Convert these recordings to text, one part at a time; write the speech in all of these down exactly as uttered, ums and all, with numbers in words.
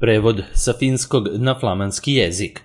Prevod sa finskog na flamanski jezik.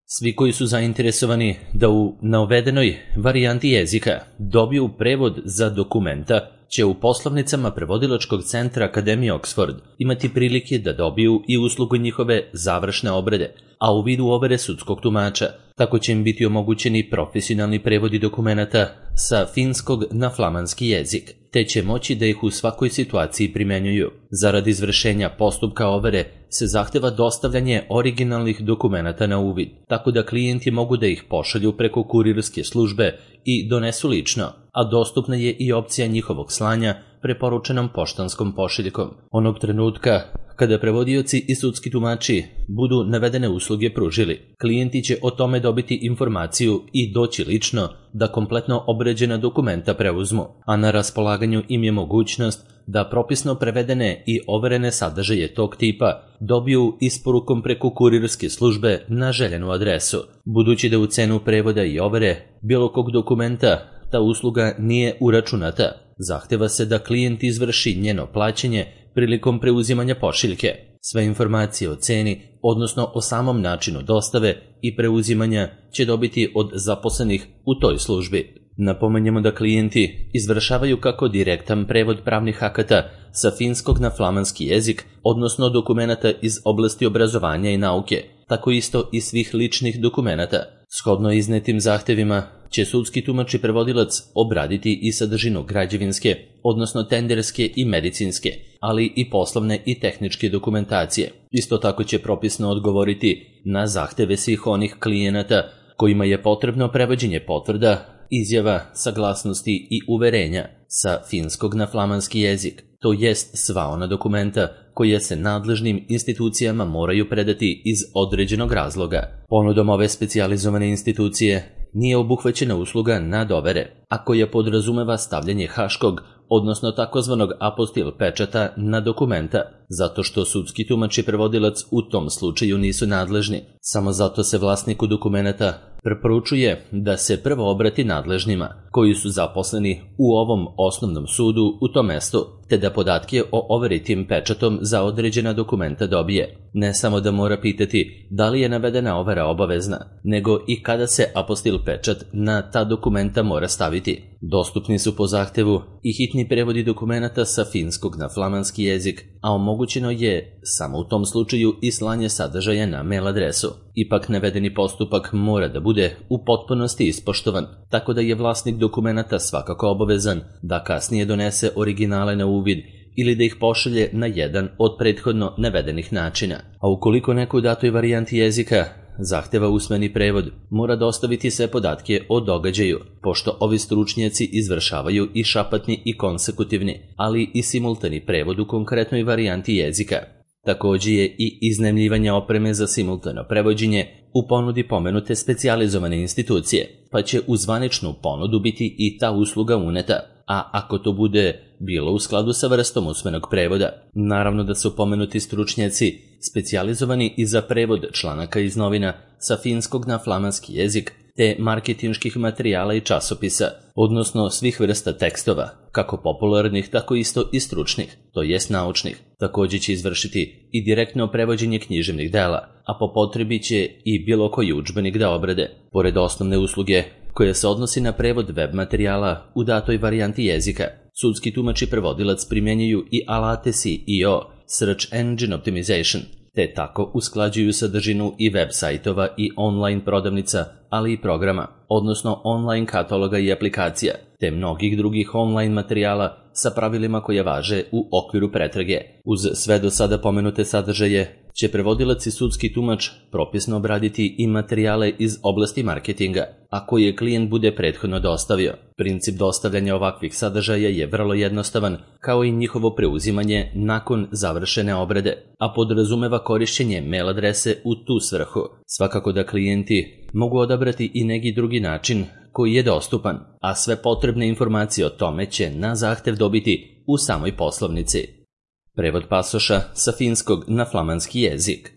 Svi koji su zainteresovani da u navedenoj varijanti jezika dobiju prevod za dokumenta će u poslovnicama prevodilačkog centra Akademije Oxford imati prilike da dobiju i uslugu njihove završne obrade, a u vidu overe sudskog tumača. Tako će im biti omogućeni profesionalni prevodi dokumenata sa finskog na flamanski jezik, te će moći da ih u svakoj situaciji primenjuju. Zarad izvršenja postupka overe se zahteva dostavljanje originalnih dokumenata na uvid, tako da klijenti mogu da ih pošalju preko kurirske službe i donesu lično, a dostupna je i opcija njihovog slanja preporučenom poštanskom pošiljkom. Onog trenutka kada prevodioci i sudski tumači budu navedene usluge pružili, klijenti će o tome dobiti informaciju i doći lično da kompletno obrađena dokumenta preuzmu, a na raspolaganju im je mogućnost da propisno prevedene i overene sadržaje tog tipa dobiju isporukom preko kurirske službe na željenu adresu. Budući da u cenu prevoda i overe bilo kog dokumenta ta usluga nije uračunata, zahteva se da klijent izvrši njeno plaćanje prilikom preuzimanja pošiljke. Sve informacije o ceni, odnosno o samom načinu dostave i preuzimanja će dobiti od zaposlenih u toj službi. Napomenjemo da klijenti izvršavaju kako direktan prevod pravnih akata sa finskog na flamanski jezik, odnosno dokumenata iz oblasti obrazovanja i nauke, tako isto i svih ličnih dokumenata. Shodno iznetim zahtevima će sudski tumač i prevodilac obraditi i sadržinu građevinske, odnosno tenderske i medicinske, ali i poslovne i tehničke dokumentacije. Isto tako će propisno odgovoriti na zahteve svih onih klijenata kojima je potrebno prevođenje potvrda, izjava, saglasnosti i uverenja sa finskog na flamanski jezik, to jest sva ona dokumenta koje se nadležnim institucijama moraju predati iz određenog razloga. Ponudom ove specijalizovane institucije nije obuhvaćena usluga nadovere, a koja podrazumeva stavljanje haškog, odnosno takozvanog apostil pečata na dokumenta, zato što sudski tumač i prevodilac u tom slučaju nisu nadležni. Samo zato se vlasniku dokumenta preporučuje da se prvo obrati nadležnima, koji su zaposleni u ovom osnovnom sudu u tom mestu, te da podatke o overi tim pečatom za određena dokumenta dobije. Ne samo da mora pitati da li je navedena overa obavezna, nego i kada se apostil pečat na ta dokumenta mora staviti. Dostupni su po zahtevu i hitni prevodi dokumenata sa finskog na flamanski jezik, a omogućeno je samo u tom slučaju i slanje sadržaja na mail adresu. Ipak navedeni postupak mora da bude u potpunosti ispoštovan, tako da je vlasnik dokumenata svakako obavezan da kasnije donese originale na uvid ili da ih pošalje na jedan od prethodno navedenih načina. A ukoliko neko u datoj varijanti jezika zahteva usmeni prevod, mora dostaviti sve podatke o događaju, pošto ovi stručnjaci izvršavaju i šapatni i konsekutivni, ali i simultani prevod u konkretnoj varijanti jezika. Također je i iznajmljivanje opreme za simultano prevođenje u ponudi pomenute specijalizovane institucije, pa će u zvaničnu ponudu biti i ta usluga uneta, a ako to bude bilo u skladu sa vrstom usmenog prevoda. Naravno da su pomenuti stručnjaci specijalizovani i za prevod članaka iz novina sa finskog na flamanski jezik, te marketinških materijala i časopisa, odnosno svih vrsta tekstova, kako popularnih, tako isto i stručnih, to jest naučnih. Također će izvršiti i direktno prevođenje književnih dela, a po potrebi će i bilo koji udžbenik da obrade. Pored osnovne usluge koja se odnosi na prevod web materijala u datoj varijanti jezika, sudski tumač i prevodilac primjenjuju i alate S E O, Search Engine Optimization, te tako usklađuju sadržinu i web sajtova i online prodavnica, ali i programa, odnosno online kataloga i aplikacija, te mnogih drugih online materijala sa pravilima koje važe u okviru pretrage. Uz sve do sada pomenute sadržaje će prevodilac i sudski tumač propisno obraditi i materijale iz oblasti marketinga, a koje klijent bude prethodno dostavio. Princip dostavljanja ovakvih sadržaja je vrlo jednostavan, kao i njihovo preuzimanje nakon završene obrade, a podrazumeva korišćenje mail adrese u tu svrhu. Svakako da klijenti mogu odabrati i neki drugi način koji je dostupan, a sve potrebne informacije o tome će na zahtev dobiti u samoj poslovnici. Prevod pasoša sa finskog na flamanski jezik.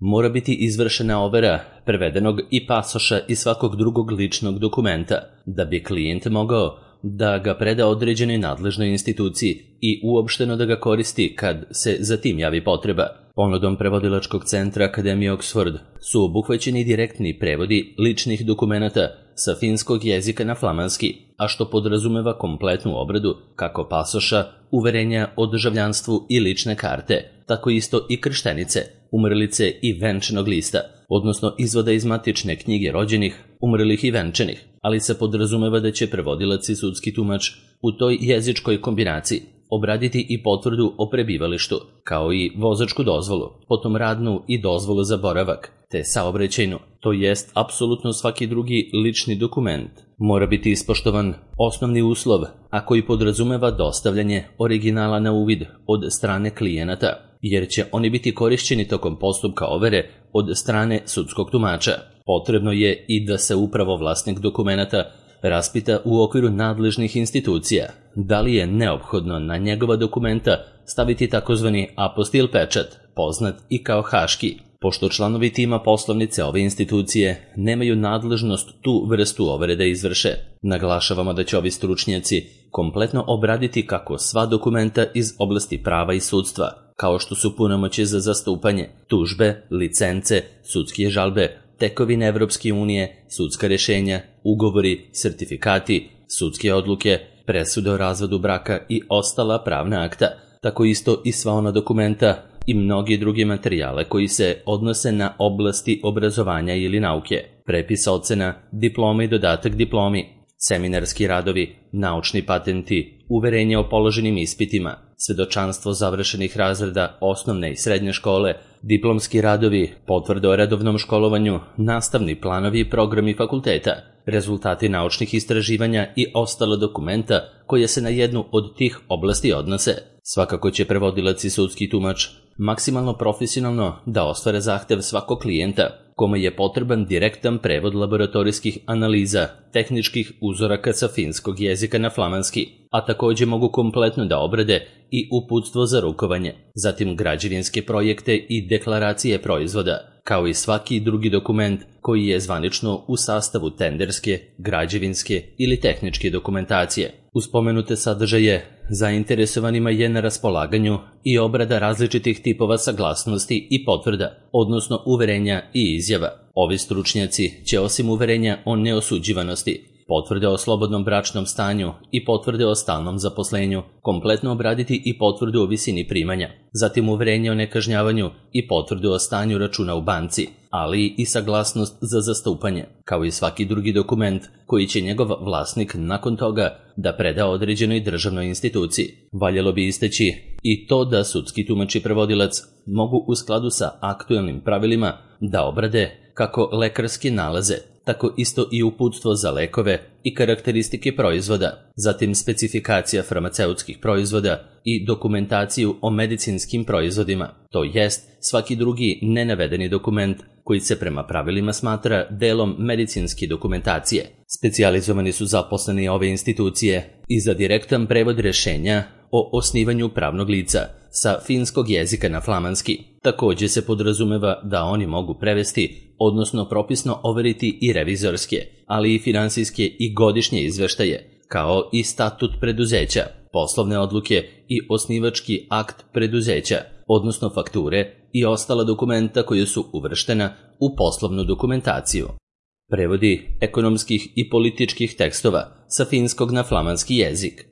Mora biti izvršena overa prevedenog i pasoša i svakog drugog ličnog dokumenta, da bi klijent mogao da ga preda određenoj nadležnoj instituciji i uopšteno da ga koristi kad se za tim javi potreba. Ponudom prevodilačkog centra Akademije Oxford su obuhvaćeni direktni prevodi ličnih dokumenata sa finskog jezika na flamanski, a što podrazumeva kompletnu obradu kako pasoša, uverenja o državljanstvu i lične karte, tako isto i krštenice, umrlice i venčanog lista, odnosno izvoda iz matične knjige rođenih, umrlih i venčanih, ali se podrazumeva da će prevodilac i sudski tumač u toj jezičkoj kombinaciji obraditi i potvrdu o prebivalištu, kao i vozačku dozvolu, potom radnu i dozvolu za boravak, te saobraćajnu, to jest apsolutno svaki drugi lični dokument. Mora biti ispoštovan osnovni uslov, a koji podrazumeva dostavljanje originala na uvid od strane klijenata, jer će oni biti korišćeni tokom postupka overe od strane sudskog tumača. Potrebno je i da se upravo vlasnik dokumenata raspita u okviru nadležnih institucija da li je neophodno na njegova dokumenta staviti takozvani apostil pečat, poznat i kao haški, pošto članovi tima poslovnice ove institucije nemaju nadležnost tu vrstu overe da izvrše. Naglašavamo da će ovi stručnjaci kompletno obraditi kako sva dokumenta iz oblasti prava i sudstva, kao što su punomoćje za zastupanje, tužbe, licence, sudske žalbe, tekovine Evropske unije, sudska rešenja, ugovori, sertifikati, sudske odluke, presude o razvodu braka i ostala pravna akta, tako isto i sva ona dokumenta i mnogi drugi materijale koji se odnose na oblasti obrazovanja ili nauke, prepis ocena, diploma i dodatak diplomi, seminarski radovi, naučni patenti, uverenje o položenim ispitima, svedočanstvo završenih razreda osnovne i srednje škole, diplomski radovi, potvrde o redovnom školovanju, nastavni planovi i programi fakulteta, rezultati naučnih istraživanja i ostala dokumenta koje se na jednu od tih oblasti odnose. Svakako će prevodilac i sudski tumač maksimalno profesionalno da ostvare zahtev svakog klijenta, kome je potreban direktan prevod laboratorijskih analiza, tehničkih uzoraka sa finskog jezika na flamanski, a takođe mogu kompletno da obrade i uputstvo za rukovanje, zatim građevinske projekte i deklaracije proizvoda, kao i svaki drugi dokument koji je zvanično u sastavu tenderske, građevinske ili tehničke dokumentacije. Uz pomenute sadržaje, zainteresovanima je na raspolaganju i obrada različitih tipova saglasnosti i potvrda, odnosno uverenja i izjava. Ovi stručnjaci će osim uverenja o neosuđivanosti, potvrde o slobodnom bračnom stanju i potvrde o stalnom zaposlenju kompletno obraditi i potvrdu o visini primanja, zatim uverenje o nekažnjavanju i potvrdu o stanju računa u banci, ali i saglasnost za zastupanje, kao i svaki drugi dokument koji će njegov vlasnik nakon toga da preda određenoj državnoj instituciji. Valjalo bi istaći i to da sudski tumač i prevodilac mogu u skladu sa aktuelnim pravilima da obrade kako lekarske nalaze, tako isto i uputstvo za lekove i karakteristike proizvoda, zatim specifikacija farmaceutskih proizvoda i dokumentaciju o medicinskim proizvodima, to jest svaki drugi nenavedeni dokument koji se prema pravilima smatra delom medicinske dokumentacije. Specijalizovani su zaposleni ove institucije i za direktan prevod rešenja o osnivanju pravnog lica sa finskog jezika na flamanski. Takođe se podrazumeva da oni mogu prevesti, odnosno propisno overiti i revizorske, ali i finansijske i godišnje izveštaje, kao i statut preduzeća, poslovne odluke i osnivački akt preduzeća, odnosno fakture i ostala dokumenta koje su uvrštena u poslovnu dokumentaciju. Prevodi ekonomskih i političkih tekstova sa finskog na flamanski jezik.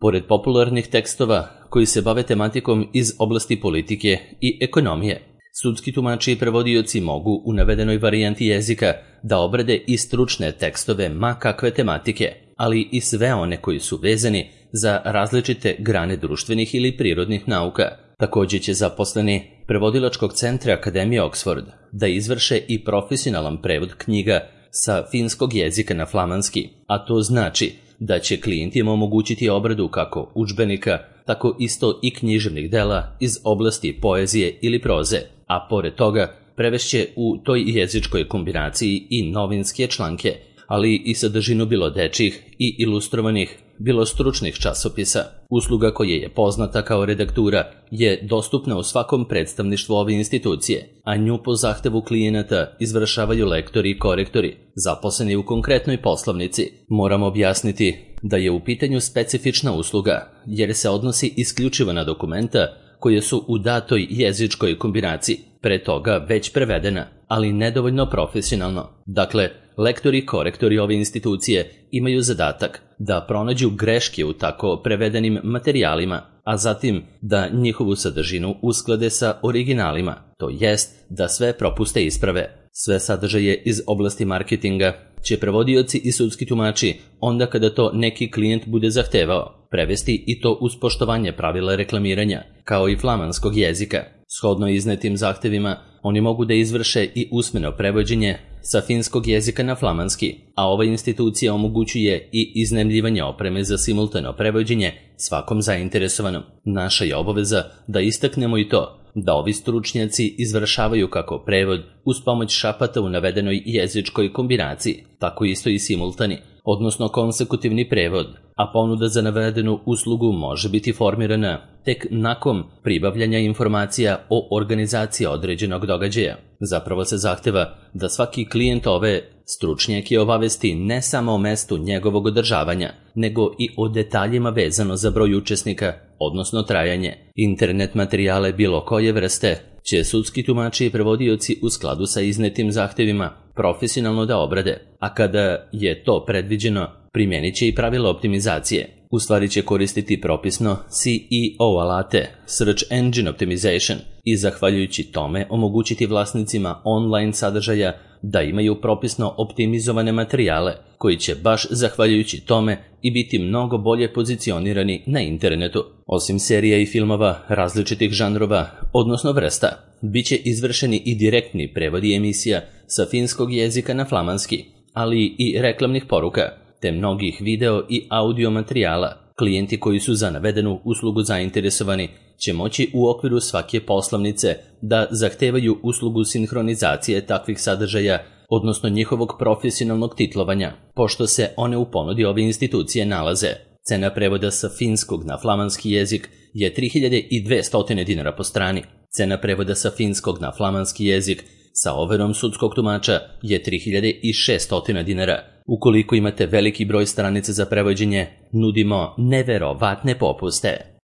Pored popularnih tekstova koji se bave tematikom iz oblasti politike i ekonomije, sudski tumači i prevodioci mogu u navedenoj varijanti jezika da obrade i stručne tekstove ma kakve tematike, ali i sve one koji su vezani za različite grane društvenih ili prirodnih nauka. Takođe će zaposleni prevodilačkog centra Akademije Oxford da izvrše i profesionalan prevod knjiga sa finskog jezika na flamanski, a to znači da će klijentima omogućiti obradu kako udžbenika, tako isto i književnih dela iz oblasti poezije ili proze, a pored toga prevešće u toj jezičkoj kombinaciji i novinske članke, ali i sadržinu bilo dečjih i ilustrovanih, bilo stručnih časopisa. Usluga koja je poznata kao redaktura je dostupna u svakom predstavništvu ove institucije, a nju po zahtevu klijenata izvršavaju lektori i korektori, zaposleni u konkretnoj poslovnici. Moramo objasniti da je u pitanju specifična usluga, jer se odnosi isključivo na dokumenta koje su u datoj jezičkoj kombinaciji pre toga već prevedena, ali nedovoljno profesionalno. Dakle, lektori i korektori ove institucije imaju zadatak da pronađu greške u tako prevedenim materijalima, a zatim da njihovu sadržinu usklade sa originalima, to jest da sve propuste isprave. Sve sadržaje iz oblasti marketinga će prevodioci i sudski tumači, onda kada to neki klijent bude zahtevao, prevesti i to uz poštovanje pravila reklamiranja, kao i flamanskog jezika. Shodno iznetim zahtevima, oni mogu da izvrše i usmeno prevođenje sa finskog jezika na flamanski, a ova institucija omogućuje i iznajmljivanje opreme za simultano prevođenje svakom zainteresovanom. Naša je obaveza da istaknemo i to da ovi stručnjaci izvršavaju kako prevod uz pomoć šapata u navedenoj jezičkoj kombinaciji, tako isto i simultani, odnosno konsekutivni prevod, a ponuda za navedenu uslugu može biti formirana tek nakon pribavljanja informacija o organizaciji određenog događaja. Zapravo se zahteva da svaki klijent ove stručnjake obavesti ne samo o mestu njegovog održavanja, nego i o detaljima vezano za broj učesnika, odnosno trajanje. Internet materijale bilo koje vrste će sudski tumači i prevodioci u skladu sa iznetim zahtevima profesionalno da obrade, a kada je to predviđeno, primjenit će i pravila optimizacije. U stvari će koristiti propisno C E O alate, Search Engine Optimization, i zahvaljujući tome omogućiti vlasnicima online sadržaja da imaju propisno optimizovane materijale, koji će baš zahvaljujući tome i biti mnogo bolje pozicionirani na internetu. Osim serija i filmova različitih žanrova, odnosno vrsta, bit će izvršeni i direktni prevodi emisija sa finskog jezika na flamanski, ali i reklamnih poruka, te mnogih video i audio materijala. Klijenti koji su za navedenu uslugu zainteresovani će moći u okviru svake poslovnice da zahtevaju uslugu sinhronizacije takvih sadržaja, odnosno njihovog profesionalnog titlovanja, pošto se one u ponudi ove institucije nalaze. Cena prevoda sa finskog na flamanski jezik je tri hiljade dvesta dinara po strani. Cena prevoda sa finskog na flamanski jezik sa overom sudskog tumača je tri hiljade šeststo dinara. Ukoliko imate veliki broj stranica za prevođenje, nudimo neverovatne popuste.